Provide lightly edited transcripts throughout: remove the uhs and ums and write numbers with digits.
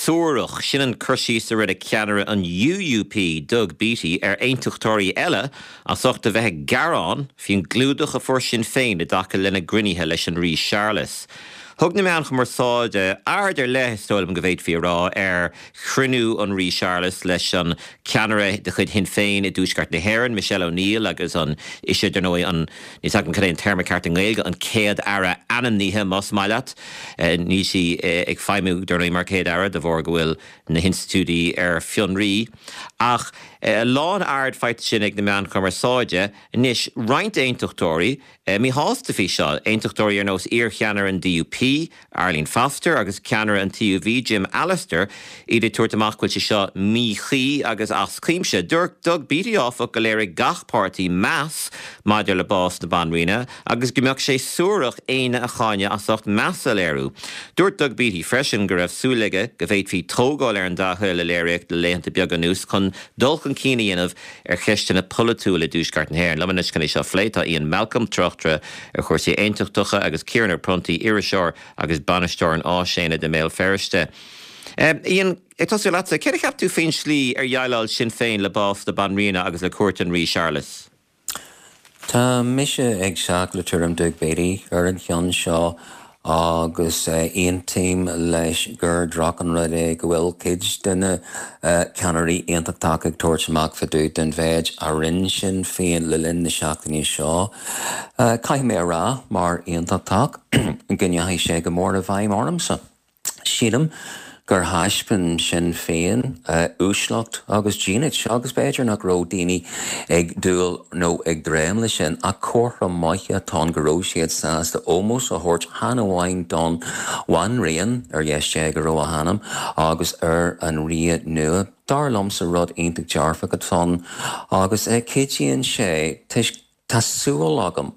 suarach. Sin an cur síos a rinne ceannaire an UUP, Doug Beattie, ar aontachtóirí eile as ucht a bheith ag gearán faoin gclúdach a fuair Sinn Féin i dtaca lena gcruinnithe leis an Rí Séarlas. Thug na meáin chumarsáide aird ar leith, is dóigh liom go bhféadfaí a rá, ar chruinniú an Rí Séarlas leis an ceannaire de chuid Shinn Féin i dTuaisceart na hÉireann, Michelle O'Neill agus an, ise, dar ndóigh, an, níl 's agam cad é an téarma ceart i nGaeilge, an Céad-Aire ainmnithe, más maith leat. Níl sí ag feidhmiú, dar ndóigh, mar Chéad-Aire de bharr go bhfuil na hinstitiúidí ar fionraí. Ach a lán aird faighte sin ag na meáin chumarsáide. Anois, roinnt aontachtóirí, Míshásta faoi seo, aontachtóirí ar nós iar-cheannaire an DUP, Arlene Foster, agus ceannaire an TUV, Jim Allister, iad ag tabhairt amach go bhfuil sé seo míchuí agus as cuimse. Dúirt Doug Beattie, áfach, go léirigh gach páirtí meas maidir le bás na Banríona agus go mbeadh sé suarach éinne a cháineadh as ucht meas a léiriú. Dúirt Doug Beattie freisin go raibh súil aige go bhféadfaí tógáil ar an dea-thoil a léiríodh le laethanta beaga anuas chun dul chun cinn a dhéanamh ar cheisteanna polaitiúla i dTuaisceart na hÉireann. Liom anois chun é seo a phlé tá Ian Malcolm, tráchtaire ar chúrsaí aontachtacha, agus Ciarán Ó Pronntaigh, iriseoir agus bainisteoir an Áisaonaid i mBéal Feirste. Ian, ag tosú leatsa, céard a cheap tú faoin slí ar dhéileáil Sinn Féin le bás na Banríona agus le cuairt an Rí Séarlas? Tá mise ag teacht le tuairim Doug Beattie ar an cheann seo agus aontaím leis gur droch an rud é go bhfuil cuid de na ceannairí aontachtacha ag tabhairt amach fá dtaobh den mhéid a rinne Sinn Féin le linn na seachtaine seo. Caithfidh mé a rá, mar aontachtach, go ndeachaigh sé go mór i bhfeidhm ormsa. Sílim gur thaispeáin Sinn Féin uaisleacht agus dínit agus b'fhéidir nach raibh daoine ag dúil nó ag dréim leis sin ach comhartha maith atá ann go raibh siad sásta ómós a thabhairt chan amháin don Bhanríon, ar dheis Dé go raibh a hanam, agus ar an Rí nua. Dar liomsa rud iontach dearfach atá ann agus cuidíonn sé toisc Tá súil agam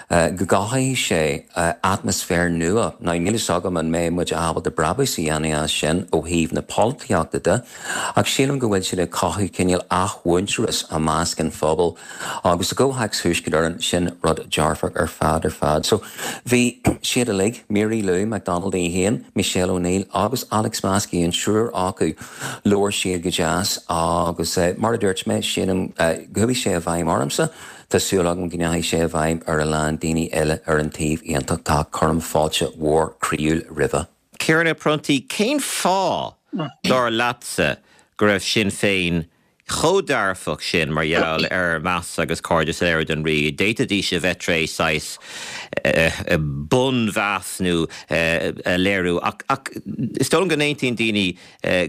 go gcothaíonn sé atmaisféar nua. Now níl fhios agam an mbeidh muid ábalta brabús a dhéanamh as sin ó thaobh na polaitíochta de, ach sílim go bhfuil siad ag cothú cineál athmhuintearas i measc an phobail agus i gcomhthéacs Thuaisceart Éireann, sin rud dearfach ar fad ar fad. So bhí siad uilig, Mary Lou McDonald í féin, Michelle O'Neill agus Alex Maskey, an triúr acu, labhair siad go deas agus mar a dúirt mé, sílim go chuaigh sé i bhfeidhm ormsa. Tá súil agam go ndeachaigh sé i bhfeidhm ar a lán daoine eile ar an taobh aontachtach. Cuirim fáilte mhór chroíúil roimhe. Ciarán Ó Pronntaigh, cén fáth, dar leatsa, go raibh Sinn Féin chomh dearfach sin mar gheall ar meas agus cairdeas a léiriú don Rí? D'fhéadfaidís a bheith tar éis saghas bunmheas nó a léiriú ach is dóigh liom go n-aontaíonn daoine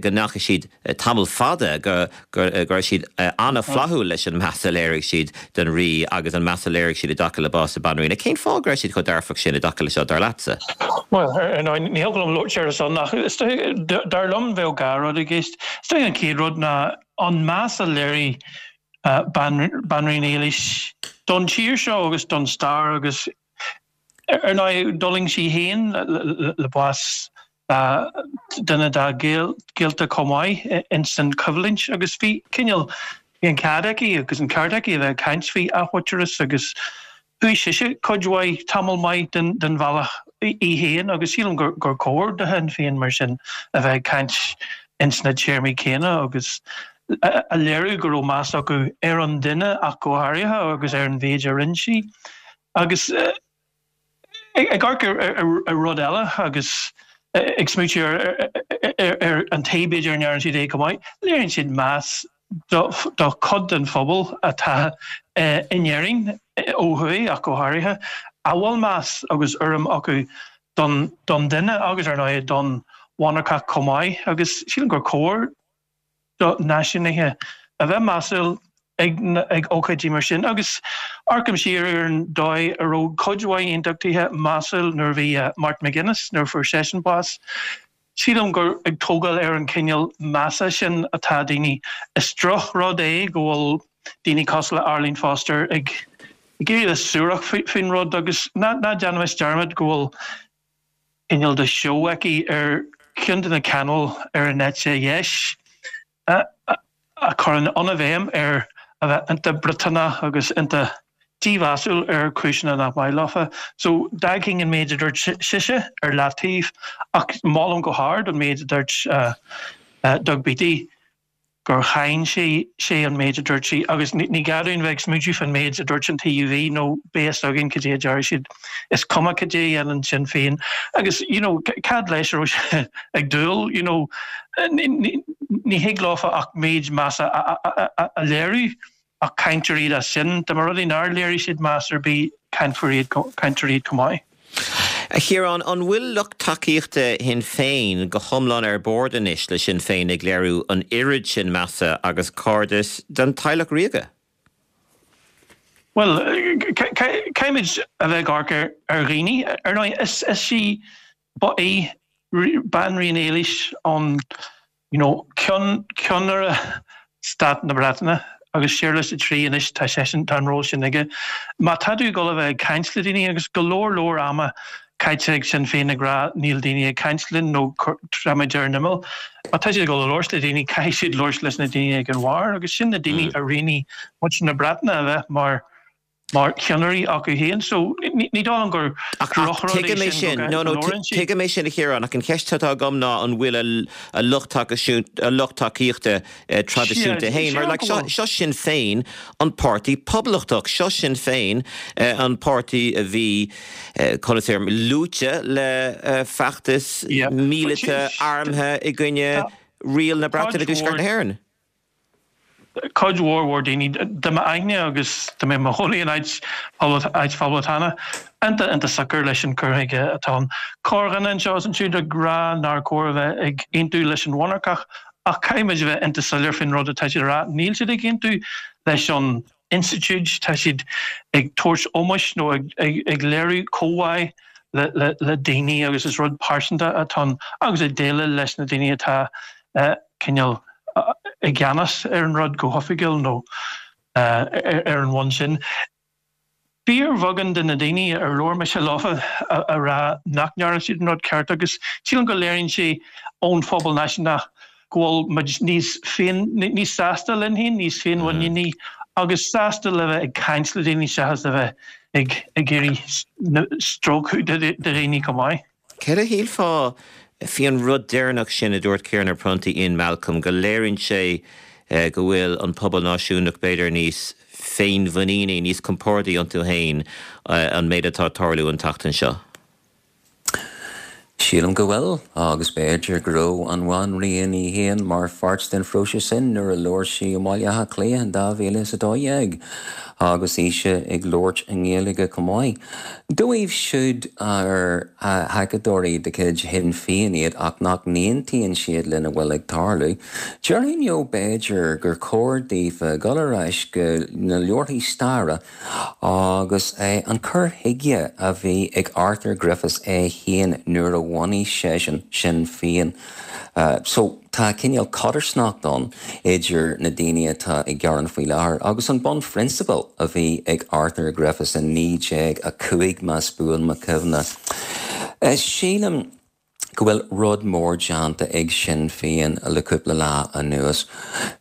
go ndeachaigh siad tamall fada, go raibh siad an-fhlaithiúil leis an meas a léirigh siad don Rí agus an meas a léirigh siad i dtaca le bás na Banríona. Cén fáth go raibh siad chomh dearfach sin i dtaca le seo, dar leatsa? Bhuel, ar ndóigh, ní thiocfadh liom labhairt ar a son ach is dóigh, dar liom, bheadh dhá rud i gceist. Is dóigh an chéad rud ná an meas a léirigh Banríon Éilís don tír seo agus don stair agus, ar ndóigh, d'fhulaing sí féin le bás duine dá gaolta chomh maith ins an choimhlint agus bhí cineál, bhí an cead aici agus an ceart aici a bheith ag caint faoi athmhuintearas agus chuaigh sise cuid mhaith, tamall maith den bhealach í féin agus sílim gur chóir do Shinn Féin mar sin a bheith ag caint ins na téarmaí céanna agus a léiriú go raibh meas acu ar an duine ach go háirithe agus ar an mhéid a rinne sí agus. Ag amharc ar rud eile agus ag smaoitiú ar an taobh b'fhéidir a ndearna siad é chomh maith, léiríonn siad meas do chuid den phobal atá in Éirinn, ó thuaidh ach go háirithe, a bhfuil meas agus urraim acu don duine agus ar ndóigh don mhonarcacht chomh maith agus sílim gur chóir do náisiúnaithe a bheith measúil ag ócáidí mar sin. Agus amharcaim siar ar an dóigh a raibh cuid mhaith aontachtaithe measúil nuair a bhí Martin McGuinness, nuair a fuair seisean bás. Sílim gur ag tógáil ar an chineál measa sin atá daoine. Is drochrud é go bhfuil daoine cosúil le Arlene Foster ag éirí le suarach faoin rud agus ná déanaimis dearmad go bhfuil cineál de seó aici ar cheann de na cainéil ar an eite dheis a chuireann an-bhéim ar a bheith iontach Briotanach agus iontach. dímheasúil ar chúiseanna nach maith leofa. So d'fhágfainn an méid a dúirt sise ar leataobh ach molaim go hard an méid a dúirt Doug Beattie gur cháin sé sé an méid a dúirt sí agus ní gá dúinn bheith ag smaointiú fán méid a dúirt an TUV nó beidh fhios againn cad é a déarfaidh siad. Is cuma cad é a dhéanann Sinn Féin agus you know cad leis a raibh sé ag dúil you know ní thig leofa ach méid measa a léiriú. Ach cáintear iad as sin. Dá mba rud é nár léirigh siad meas ar bith, cáinfear iad, cáintear iad chomh maith. A Chiaráin, an bhfuil lucht tacaíochta Shinn Féin go hiomlán ar bord anois le Sinn Féin ag léiriú an oiread sin measa agus cairdis don teaghlach ríoga? Bhuel, caithfimid a bheith ag amharc ar dhaoine. Ar ndóigh, is í, ba í Banríon Éilís an you know, ceann, ceannaire Stát na Breataine agus Séarlas a Trí anois, tá seisean, tá an ról sin aige. Má tá tú ag dul a bheith ag caint le daoine agus go leor leor ama caite ag Sinn Féin ag rá níl daoine ag caint linn nó táimid ar an imeall, má tá siad ag dul a labhairt le daoine caithfidh siad labhairt leis na daoine ag an bharr agus sin na daoine a roghnaigh muintir na Breataine a bheith mar mar cheannairí acu féin. So, ní dóigh liom gur drochrud é sin go labhrann siad. Tuigim é sin a Chiaráin, ach an cheist atá agam ná an bhfuil a lucht tacaíochta traidisiúnta féin, mar like seo Sinn Féin an páirtí poblachtach, seo Sinn Féin an páirtí a bhí, conas é, luaite le feachtas míleata armtha i gcoinne riail na Breataine i dTuaisceart na hÉireann. Cuid mhór mhór daoine, dá mbeadh aithne agus dá mbeadh mo chónaí in áit áit phoblachtánach, iontach iontach socair leis an cur chuige atá ann. Corrdhuine anseo is ansiúd ag rá nár chóir a bheith ag aontú leis an mhonarcacht ach caithfidh muid a bheith iontach soiléir faoin rud atá siad a rá. Níl siad ag aontú leis an institiúid, tá siad ag tabhairt ómóis nó ag léiriú comhbhá le daoine agus is rud pearsanta atá ann agus ag déileáil leis na daoine atá cineál i gceannas ar an rud go hoifigiúil nó ar an bhonn sin. Fíorbheagán de na daoine ar labhair mise leofa a rá nach ndearna siad an rud ceart agus sílim go léiríonn sé ón phobal náisiúnach go bhfuil muid níos féin, níos sásta linn féin, níos féinmhuiníní agus sásta le bheith ag caint le daoine seachas a bheith ag ag iarraidh stróiceadh de dhaoine chomh maith. Céard a shílfeá faoi an rud deireanach sin a dúirt Ciarán Ó Pronntaigh, Ian Malcolm, go léiríonn sé go bhfuil an pobal náisiúnach b'fhéidir níos féinmhuiníní, níos compordaí iontu féin, an méid atá ag tarlú an tseachtain seo? Sílim go bhfuil, agus b'fhéidir go raibh an Bhanríon í féin mar pháirt den phróiseas sin nuair a labhair sí i mBaile Átha Cliath in 2012 agus ise ag labhairt i nGaeilge chomh maith. Dóibh siúd ar thacadóirí de chuid Shinn Féin iad ach nach n-aontaíonn siad lena bhfuil ag tarlú, déarfainn leo b'fhéidir gur chóir daofa dul ar ais go na leabharthaí staire Agus an cur chuige a bhí ag Arthur Griffiths é féin nuair a bhunaigh seisean Sinn Féin. So, tá cineál codarsnacht ann idir na daoine atá ag gearán faoi láthair agus an bunphrionsabal a bhí ag Arthur Griffiths in 1905, más buan mo chuimhne. Sílim. go bhfuil rud mór déanta ag Sinn Féin le cúpla lá anuas.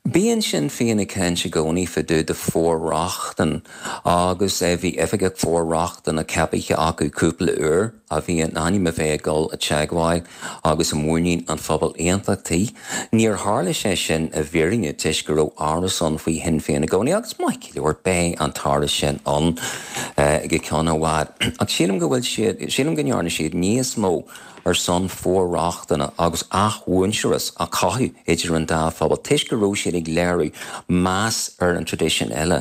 Bíonn Sinn Féin ag caint i gcónaí fá dtaobh de for-rochtain agus bhí oifigeach for-rochtana ceapaithe acu cúpla uair a bhí in ainm a bheith ag dul i dteagmháil agus i muinín an phobail aontachtaí. Níor tharla sé sin i bhfírinne toisc go raibh amhras ann faoi Shinn Féin i gcónaí agus maith go leor beidh an t-amhras sin ann go ceann i bhfad. Ach sílim go bhfuil siad, sílim go ndearna siad níos mó ar son for-rochtana agus athmhuintearas a chothú idir an dá phobal toisc go raibh siad ag léiriú meas ar an traidisiún eile.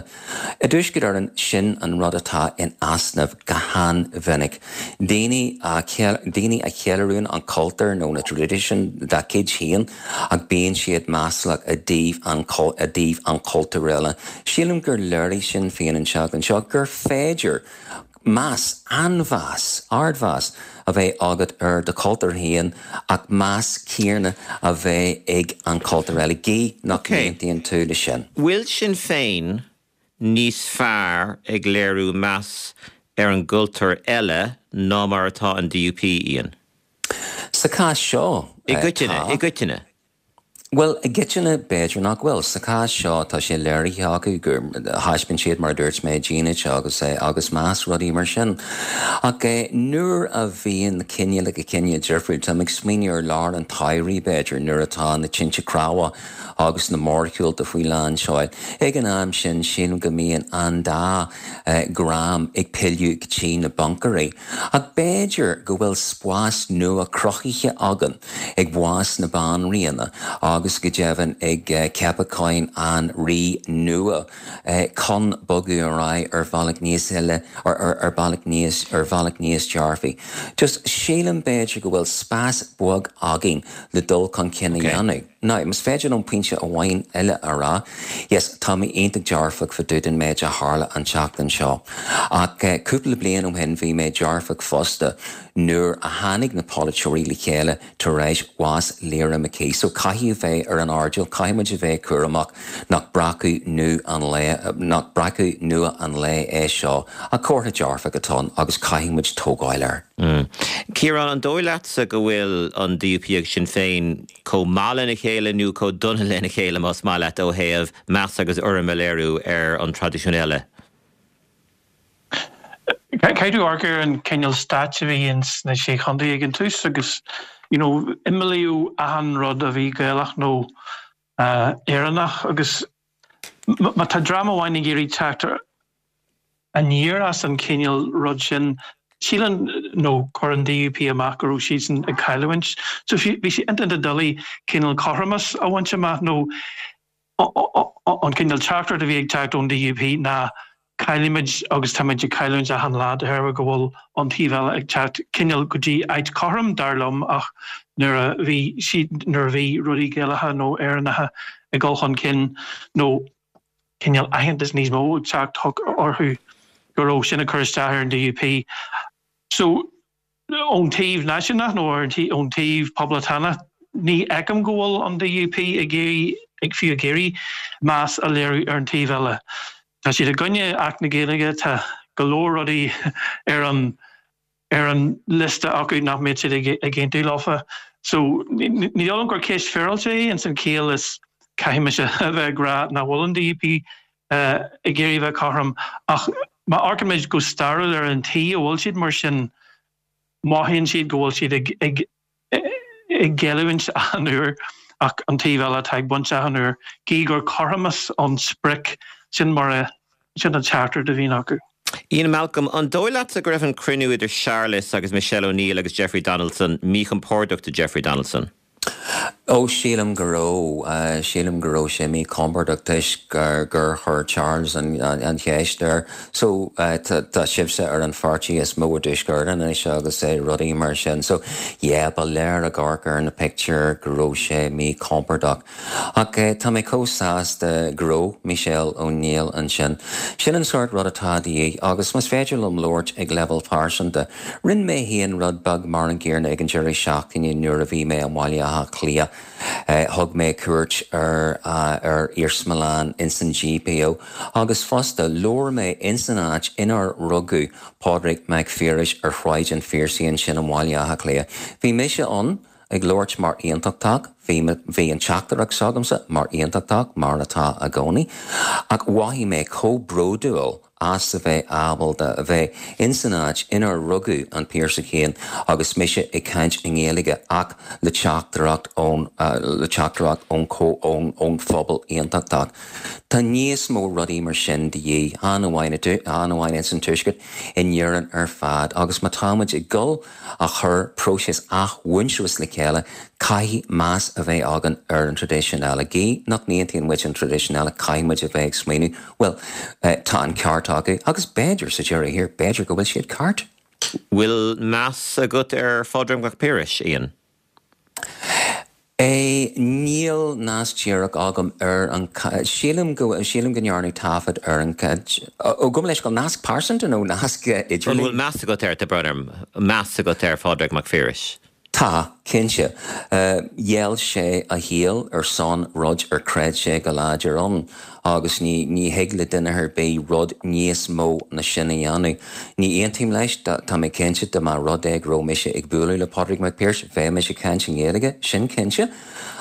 I dTuaisceart Éireann, sin an rud atá in easnamh go han-mhinic. Daoine a daoine a cheiliúrann an cultúr nó na traidisiúin dá gcuid féin ach bíonn siad maslach i dtaobh an i dtaobh an chultúir eile. Sílim gur léirigh Sinn Féin an tseachtain seo gur féidir meas, an-mheas, ardmheas a bheith agat ar do chultúr féin ach meas céanna a bheith ag an chultúr eile, gidh nach n-aontaíonn tú leis sin. Bhfuil Sinn Féin níos fearr ag léiriú meas ar an gcultúr eile ná mar atá an DUP, Ian? Sa chás seo, I gcoitinne, tá. i gcoitinne. Bhuel, i gcoitinne, b'fhéidir nach bhfuil. Sa chás seo, tá sé léirithe acu gur thaispeáin siad, mar a dúirt mé, dínit agus agus meas, rudaí mar sin. Ach nuair a bhíonn na cineálacha cine difriúil, táim ag smaoineamh ar lár an tsamhraidh, b'fhéidir, nuair atá na tinte cnámha agus na mórshiúlta faoi lán seoil. Ag an am sin, sílim go mbíonn an dá dhream ag pilleadh go dtí na buncairí. Ach b'fhéidir go bhfuil spás nua cruthaithe againn ag bás na Banríona agus go deimhin ag ceapacháin an Rí nua chun bogadh ar aghaidh ar bhealach níos eile, ar bhealach níos, ar bhealach níos dearfaí. Just sílim b'fhéidir go bhfuil spás beag againn le dul chun cinn a dhéanamh. Now, más féidir liom pointe amháin eile a rá, yes, tá mé iontach dearfach fá dtaobh den méid a tharla an tseachtain seo. Ach cúpla bliain ó shin bhí mé dearfach fosta nuair a tháinig na polaiteoirí le chéile tar éis bhás Lyra McKee. So caithfidh a bheith ar an airdeall, caithfidh muid a bheith cúramach nach breacadh nua an lae, nach breacadh nua an lae é seo. Ach comhartha dearfach atá ann agus caithfidh muid tógáil air. Ciarán, an dóigh leatsa go bhfuil an DUP agus Sinn Féin chomh maith lena chéile nó chomh dona lena chéile, más maith leat, ó thaobh meas agus urraim a léiriú ar an traidisiún eile? Caithfidh tú amharc ar an cineál stáit a bhí ins na Sé Chontae ag an tús agus you know imeallaíodh achan rud a bhí Gaelach nó Éireannach agus má tá dream amháin ag iarraidh teacht aniar as an chineál rud sin, síleann nó chuir an DUP amach go raibh siadsan ag cailliúint. So bhí sé iontach doiligh cineál cothromas a bhaint amach nó an cineál teachtaireacht a bhí ag teacht ón DUP ná caillfimid agus táimid ag cailliúint achan lá de thairbhe go bhfuil an taobh eile ag teacht cineál go dtí áit cothrom dar liom ach nuair a bhí siad nuair a bhí rudaí Gaelacha nó Éireannacha ag dul chun cinn nó cineál aitheantas níos mó ag teacht orthu go raibh sin ag cur isteach ar an DUP. So ón taobh náisiúnach nó ón taobh poblachtánach, ní fheicim go bhfuil an DUP ag iarraidh, ag fiú ag iarraidh meas a léiriú ar an taobh eile. Tá siad i gcoinne Acht na Gaeilge, tá go leor rudaí ar an ar an liosta acu nach mbeadh siad ag aontú leofa. So ní dóigh liom gur ceist féaráilte é ins an chiall is caithfidh mise a bheith ag rá nach bhfuil an DUP ag iarraidh a bheith cothrom ach má amharcann muid go stairiúil ar an tslí a bhfuil siad mar sin, mothaíonn siad go bhfuil siad ag ag ag géilliúint achan uair ach an taobh eile atá ag baint achan uair. Gí gur cothromas an sprioc, sin mar a, sin an teachtaireacht a bhíonn acu. Ian Malcolm, an dóigh leatsa go raibh an cruinniú idir Séarlas agus Michelle O'Neill agus Jeffrey Donaldson míchompordach do Jeffrey Donaldson? Ó, sílim go raibh. Sílim go raibh sé míchompordach toisc gur chuir Charles an cheist air. So, tá sibhse ar an pháirtí is mó i dTuaisceart anois agus rudaí mar sin. So, yeah, ba léir ag amharc ar na pictiúir go raibh sé míchompordach. Ach tá mé chomh sásta go raibh Michelle O'Neill ansin. Sin an sórt rud atá de dhíth agus más féidir liom labhairt ag leibhéal pearsanta, Rinne mé féin rud beag mar an gcéanna ag an deireadh seachtaine nuair a bhí mé i mBaile Átha Cliath. Thug mé cuairt ar ar iarsmalann ins an GPO agus fosta labhair mé ins an áit inar rugadh Pádraig Mac Phiarais ar Shráid an Phiarsaigh ansin i mBaile Átha Cliath. Bhí mise ann ag labhairt mar aontachtach, bhí bhí an teachtaireacht s'agamsa mar aontachtach mar atá i gcónaí ach mhothaigh mé chomh bródúil as a bheith ábalta a bheith ins an áit inar rugadh an Piarsach féin agus mise ag caint i nGaeilge ach le teachtaireacht ón le teachtaireacht ón ón ón phobal aontachtach. Tá níos mó rudaí mar sin de dhíth, chan amháin chan amháin ins an Tuaisceart, in Éirinn ar fad agus má tá muid ag dul a chur próiseas athmhuintearais le chéile, caithfidh meas a bheith againn ar an traidisiún eile. Gí nach n-aontaíonn muid an traidisiún eile, caithfidh muid a bheith ag smaoineamh, bhuel, tá an ceart acu, agus b'fhéidir, sa deireadh thiar, b'fhéidir go bhfuil siad ceart. Bhfuil meas agat ar Phádraig Mac Piarais, Ian? É, Níl nasc díreach agam ar an, sílim go, sílim go ndearnadh taifead ar an, ó, gabh mo leithscéal, nasc pearsanta nó nasc idirlín? An bhfuil meas agat air, tá brón orm, meas agat ar Phádraig Mac Phiarais? Tá, Cinnte. Gheall sé a shaol ar son rud ar chreid sé go láidir ann agus ní ní thig le duine ar bith rud níos mó ná sin a dhéanamh. Ní aontaím leis, tá mé cinnte dá mba rud é go raibh mise ag bualadh le Pádraig Mac Piarais bheadh mise ag caint i nGaeilge, sin cinnte.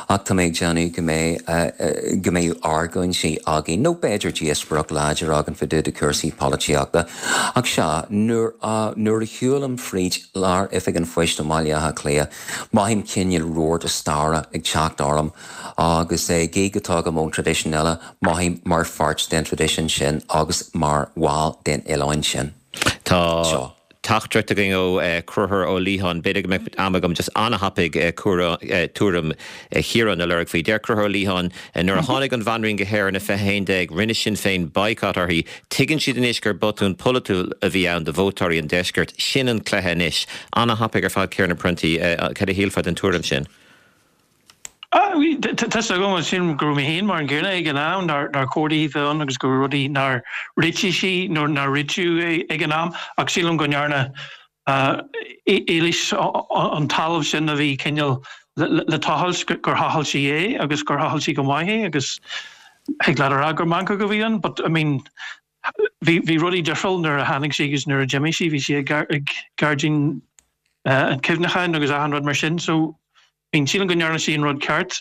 Ach tá mé ag déanamh go mbeidh go mbeidh argóintí againn, nó b'fhéidir díospóireacht láidir againn fá dtaobh de cúrsaí polaitíochta. Ach sea, nuair a nuair a shiúlaim fríd lár Oifig an Phoist i mBaile Átha Cliath, mothaím cineál rabharta staire ag teacht orm agus gidh go dtagaim ón traidisiún eile, mothaím mar pháirt den traidisiún sin agus mar bhall den oileán sin. Tá. Seo. Teachtaireacht againn ó Conchúr Ó Liatháin. B'fhéidir go mbeadh am agam just an-thapaidh tuairim Chiaráin a lorg faoi. Deir Conchúr Ó Liatháin, Nuair a tháinig an Bhanríon go hÉirinn i 2011, rinne Sinn Féin boycott uirthi. Tuigeann siad anois gur botún polaitiúil a bhí ann do vótóirí an deiscirt. Sin an cluiche anois. An-thapaidh ar fad Ciarán Ó Pronntaigh. Cad a shílfeá den tuairim sin? Tá's agam sílim go raibh mé féin mar an gcéanna ag an am, nár chóir di bheith ann agus go raibh rudaí nár réitigh sí nó nár réitíodh ag an am ach sílim go ndearna Éilís an talamh sin a bhí cineál le tochailt, gur thochail sí é agus gur thochail sí go maith é agus thig leat a rá gur meancóg a bhí ann but I mean bhí rudaí difriúil nuair a tháinig sí agus nuair a d'imigh sí, bhí sí ag gairdín an chuimhneacháin agus achan rud mar sin so Bíonn, sílim go ndearna sí an rud ceart.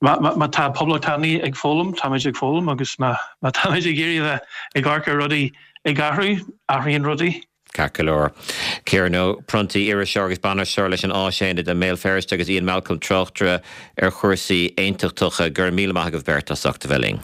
Má tá poblachtánaigh ag foghlaim, táimid ag foghlaim agus má táimid ag iarraidh a bheith ag amharc ar rudaí ag athrú, athraíonn rudaí. Ceart go leor. Ciarán Ó Pronntaigh, iriseoir agus bainisteoir leis an Áisaonad i mBéal Feirste agus Ian Malcolm, tráchtaire ar chúrsaí aontachtacha. Go raibh míle maith agaibh beirt as ucht a bheith linn.